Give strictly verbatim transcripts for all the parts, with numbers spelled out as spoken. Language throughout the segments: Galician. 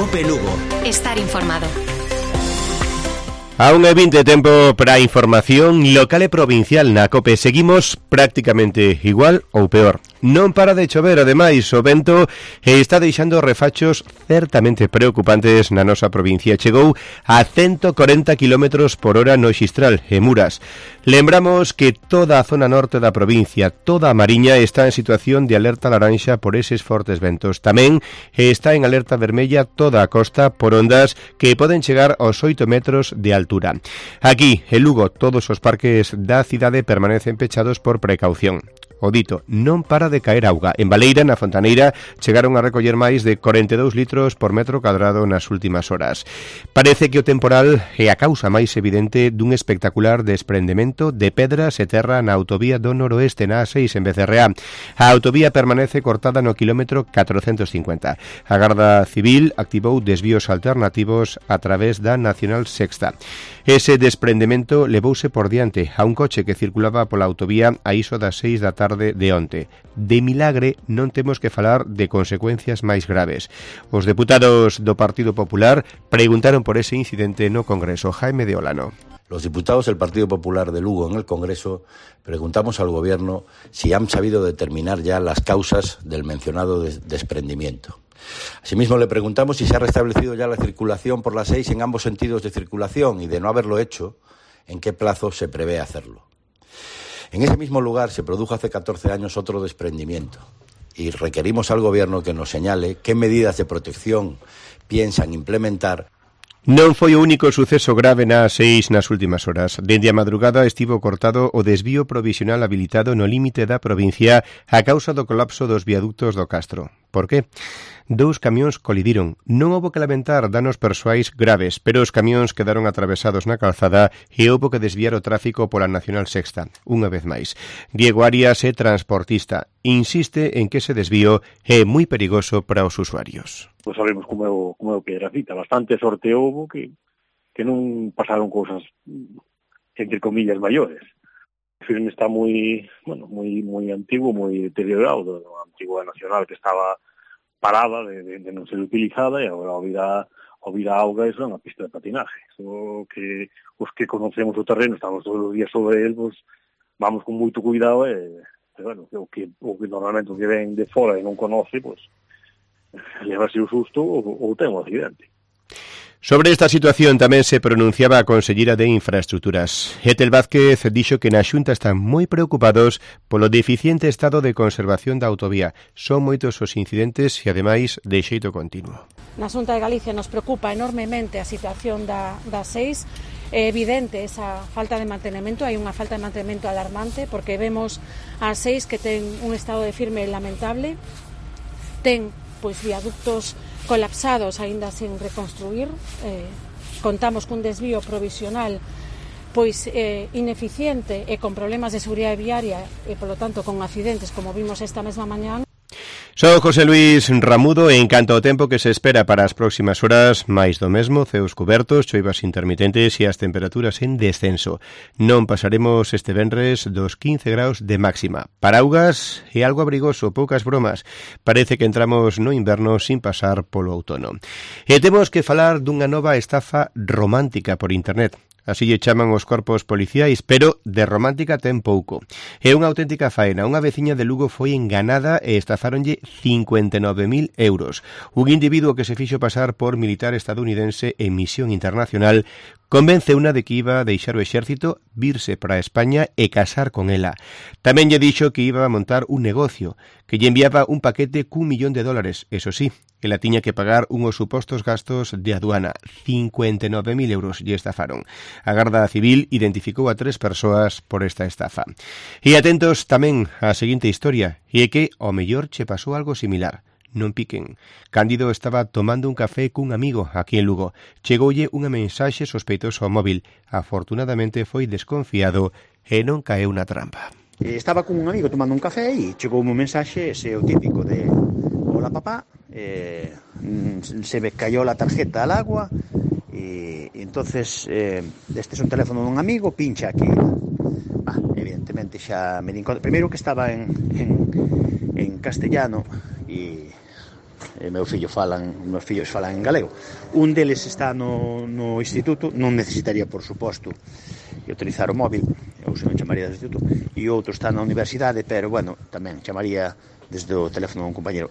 Cope Lugo. Estar informado. A un e vinte tempo para a información local e provincial na COPE. Seguimos prácticamente igual ou peor. Non para de chover, ademais, o vento está deixando refachos certamente preocupantes na nosa provincia. Chegou a ciento corenta kilómetros por hora no Xistral, en Muras. Lembramos que toda a zona norte da provincia, toda a Mariña, está en situación de alerta laranxa por eses fortes ventos. Tamén está en alerta vermella toda a costa por ondas que poden chegar aos oito metros de altura. Aquí, en Lugo, todos os parques da cidade permanecen pechados por precaución. O dito, non para de caer auga. En Baleira, na Fontaneira, chegaron a recoller máis de corenta e dous litros por metro cadrado nas últimas horas. Parece que o temporal é a causa máis evidente dun espectacular desprendemento de pedras e terra na autovía do noroeste na A seis en Becerreá. A autovía permanece cortada no kilómetro catrocentos cincuenta. A Garda Civil activou desvíos alternativos a través da Nacional Sexta. Ese desprendemento levouse por diante a un coche que circulaba pola autovía a iso das seis da tarde de onte. De milagre non temos que falar de consecuencias máis graves. Os deputados do Partido Popular preguntaron por ese incidente no Congreso. Jaime de Olano. Los diputados del Partido Popular de Lugo en el Congreso preguntamos al Gobierno si han sabido determinar ya las causas del mencionado des- desprendimiento. Asimismo, le preguntamos si se ha restablecido ya la circulación por la seis en ambos sentidos de circulación y, de no haberlo hecho, en qué plazo se prevé hacerlo. En ese mismo lugar se produjo hace catorce años otro desprendimiento y requerimos al Gobierno que nos señale qué medidas de protección piensan implementar. Non foi o único suceso grave na A seis nas últimas horas. Dende a madrugada estivo cortado o desvío provisional habilitado no límite da provincia a causa do colapso dos viaductos do Castro. Por qué? Dous camións colidiron. Non houbo que lamentar danos persoais graves, pero os camións quedaron atravesados na calzada e houbo que desviar o tráfico pola Nacional Sexta, unha vez máis. Diego Arias é transportista. Insiste en que ese desvío é moi perigoso para os usuarios. Pois sabemos como é o, como é o Piedrafita. Bastante sorte houbo que, que non pasaron cousas, entre comillas, maiores. O filme está moi, bueno, moi, moi antigo, moi deteriorado, do antigo nacional que estaba parada de, de, de non ser utilizada, e agora ao vir a, ao vir a auga eso é unha pista de patinaje. So que os que conocemos o terreno, estamos todos os días sobre el, pues, vamos con moito cuidado e, e bueno, o que, o que normalmente o que ven de fora e non conoce, pues, levase o susto ou, ou ten un accidente. Sobre esta situación tamén se pronunciaba a Conselleira de Infraestructuras. Etel Vázquez dixo que na Xunta están moi preocupados polo deficiente estado de conservación da autovía. Son moitos os incidentes e, ademais, de xeito continuo. Na Xunta de Galicia nos preocupa enormemente a situación da, da seis. É evidente esa falta de mantenimento, hai unha falta de mantenimento alarmante, porque vemos a seis que ten un estado de firme lamentable, ten pois viaductos colapsados aínda sen reconstruir, eh, contamos cun desvío provisional pois eh, ineficiente e con problemas de seguridade viaria e, polo tanto, con accidentes como vimos esta mesma mañán. Sou José Luis Ramudo e en canto ao tempo que se espera para as próximas horas, máis do mesmo, ceos cubertos, choivas intermitentes e as temperaturas en descenso. Non pasaremos este venres dos quince graus de máxima. Paraugas e algo abrigoso, poucas bromas. Parece que entramos no inverno sin pasar polo outono. E temos que falar dunha nova estafa romántica por internet. Así lle chaman os corpos policiais, pero de romántica ten pouco. É unha auténtica faena. Unha veciña de Lugo foi enganada e estafáronlle cincuenta e nove mil euros. Un individuo que se fixo pasar por militar estadounidense en misión internacional convence unha de que iba a deixar o exército, virse para España e casar con ela. Tamén lle dixo que iba a montar un negocio, que lle enviaba un paquete cun millón de dólares. Eso sí, ela tiña que pagar unhos supostos gastos de aduana. cincuenta e nove mil euros lle estafaron. A Garda Civil identificou a tres persoas por esta estafa. E atentos tamén á seguinte historia, e é que ao mellor che pasou algo similar. Non piquen. Cándido estaba tomando un café cun amigo aquí en Lugo. Chegoulle unha mensaxe sospeitosa ao móvil. Afortunadamente foi desconfiado e non caeu na trampa. Estaba con un amigo tomando un café e chegou un mensaxe, ese o típico de hola papá, eh, se me cayó la tarjeta al agua e entonces eh, este é un teléfono dun amigo, pincha aquí. Ah, evidentemente xa me di conta. Primeiro que estaba en, en, en castellano e e meus fillos falan, meus fillos falan en galego. Un deles está no, no instituto, non necesitaría, por suposto, utilizar o móvil, ou se non chamaría do instituto, e outro está na universidade, pero, bueno, tamén chamaría desde o teléfono a un compañero.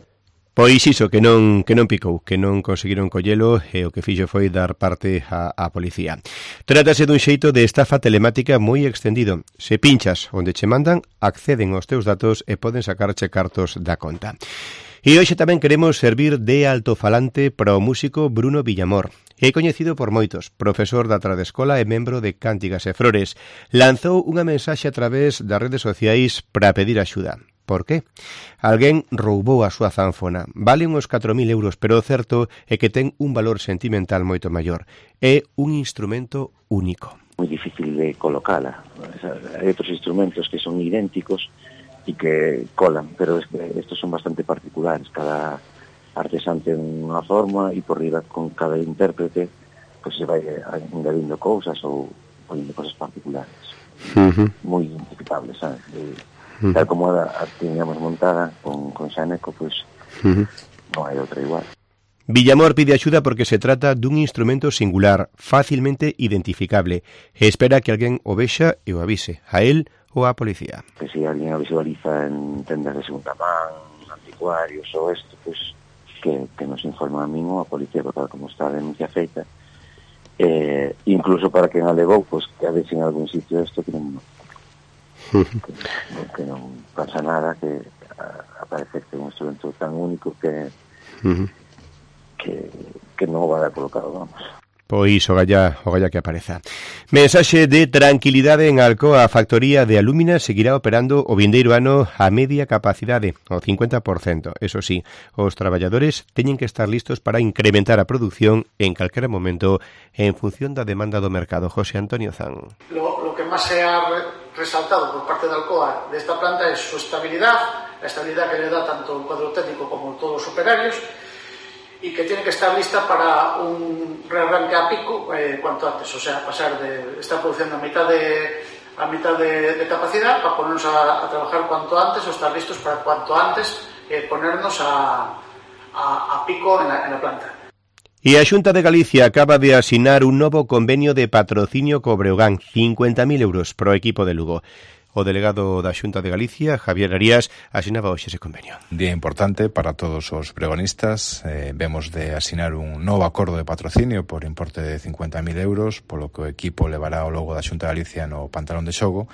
Pois iso, que non que non picou, que non conseguiron collelo e o que fixo foi dar parte á, á policía. Trátase dun xeito de estafa telemática moi extendido. Se pinchas onde che mandan, acceden aos teus datos e poden sacarche cartos da conta. E hoxe tamén queremos servir de altofalante para o músico Bruno Villamor. É coñecido por moitos, profesor da Tradescola e membro de Cántigas e Flores. Lanzou unha mensaxe a través das redes sociais para pedir axuda. Por qué? Alguén roubou a súa zanfona. Vale uns catro mil euros, pero o certo é que ten un valor sentimental moito maior. É un instrumento único. Moi difícil de colocala. Hai outros instrumentos que son idénticos e que colan, pero es que estos son bastante particulares. Cada artesán ten unha forma e por riba con cada intérprete pues se vai engadindo cousas ou poniendo cosas particulares. Uh-huh. Moi identificables, sabes? De, Uh-huh. Tal como a, a teníamos montada con, con Xaneco, pues uh-huh. non hai outra igual. Villamor pide axuda porque se trata dun instrumento singular, facilmente identificable, e espera que alguén o vexa e o avise, a él ou á policía. Que se alguén o visualiza en tendas de segunda man, anticuarios ou isto, pues que, que nos informa a min ou a policía, porque como está a denuncia feita, eh, incluso para que non alegou, pues que a veces en algún sitio isto que non... Que, que non pasa nada, que a, aparece que é un instrumento tan único que uh-huh. que, que non vai a colocado, vamos. Pois o galla, o galla que apareza. Mensaxe de tranquilidade en Alcoa. A factoría de Alúmina seguirá operando o vindeiro ano a media capacidade, o cincuenta por cento. Eso sí, os traballadores teñen que estar listos para incrementar a produción en calquera momento en función da demanda do mercado. José Antonio Zan. Lo, lo que máis se ha resaltado por parte de Alcoa de esta planta é su estabilidad, la estabilidad que le da tanto el cuadro técnico como todos los operarios, y que tiene que estar lista para un rearranque a pico eh, cuanto antes, o sea, pasar de estar produciendo a mitad de a mitad de, de capacidad para ponernos a, a trabajar cuanto antes o estar listos para cuanto antes eh, ponernos a, a, a pico en la, en la planta. E a Xunta de Galicia acaba de asinar un novo convenio de patrocinio co Breogán, cincuenta mil euros pro equipo de Lugo. O delegado da Xunta de Galicia, Javier Arías, asinaba hoxe ese convenio. Día importante para todos os bregonistas. Eh, vemos de asinar un novo acordo de patrocinio por importe de cincuenta mil euros, polo que o equipo levará o logo da Xunta de Galicia no pantalón de xogo.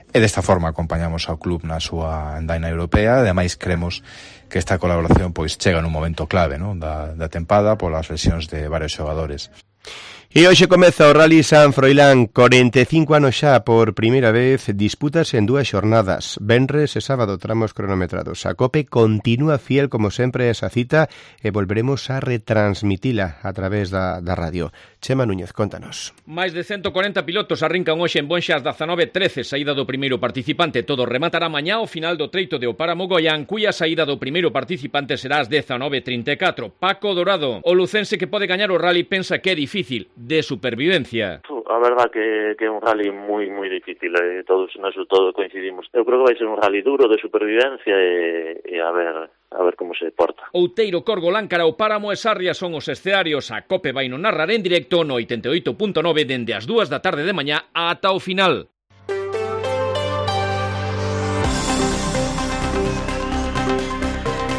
E desta forma acompañamos ao club na súa andaina europea. Ademais, cremos que esta colaboración pois chega nun momento clave, non, da, da tempada polas lesións de varios xogadores. E hoxe comeza o Rally San Froilán, corenta e cinco anos xa por primeira vez, disputas en dúas xornadas, venres e sábado, tramos cronometrados. A COPE continúa fiel como sempre a esa cita e volveremos a retransmitila a través da, da radio. Chema Núñez, contanos. Mais de ciento cuarenta pilotos arrincan hoxe en Bonxas dezanove trece, saída do primeiro participante. Todo rematará mañá ao final do treito de Opáramo Goián, cuya saída do primeiro participante será ás dezanove trinta e catro. Paco Dorado, o lucense que pode gañar o rally, pensa que é difícil, de supervivencia. A verdad que, que é un rally moi moi difícil, eh, todos naso todo coincidimos. Eu creo que vai ser un rally duro de supervivencia e, e a ver a ver como se porta. Outeiro, Corgo, Láncara, Opáramo e Sarria son os escenarios. A COPE vai non narrar en directo no oitenta e oito punto nove dende as dúas da tarde de mañá ata o final.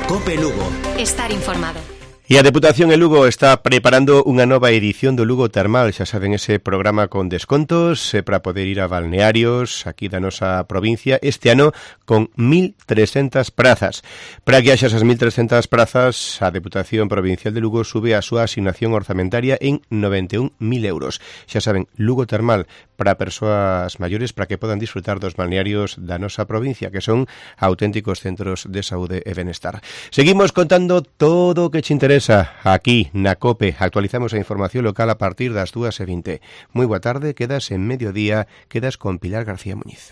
COPE Lugo. Estar informado. E a Deputación en Lugo está preparando unha nova edición do Lugo Termal, xa saben, ese programa con descontos eh, para poder ir a balnearios aquí da nosa provincia, este ano con mil trescentas prazas. Para que haxa esas mil trescentas prazas, a Deputación Provincial de Lugo sube a súa asignación orzamentaria en noventa e un mil euros. Xa saben, Lugo Termal para persoas maiores para que podan disfrutar dos balnearios da nosa provincia, que son auténticos centros de saúde e benestar. Seguimos contando todo o que te interesa aquí na COPE. Actualizamos a información local a partir das dúas e vinte. Moi boa tarde, quedas en mediodía, quedas con Pilar García Muñiz.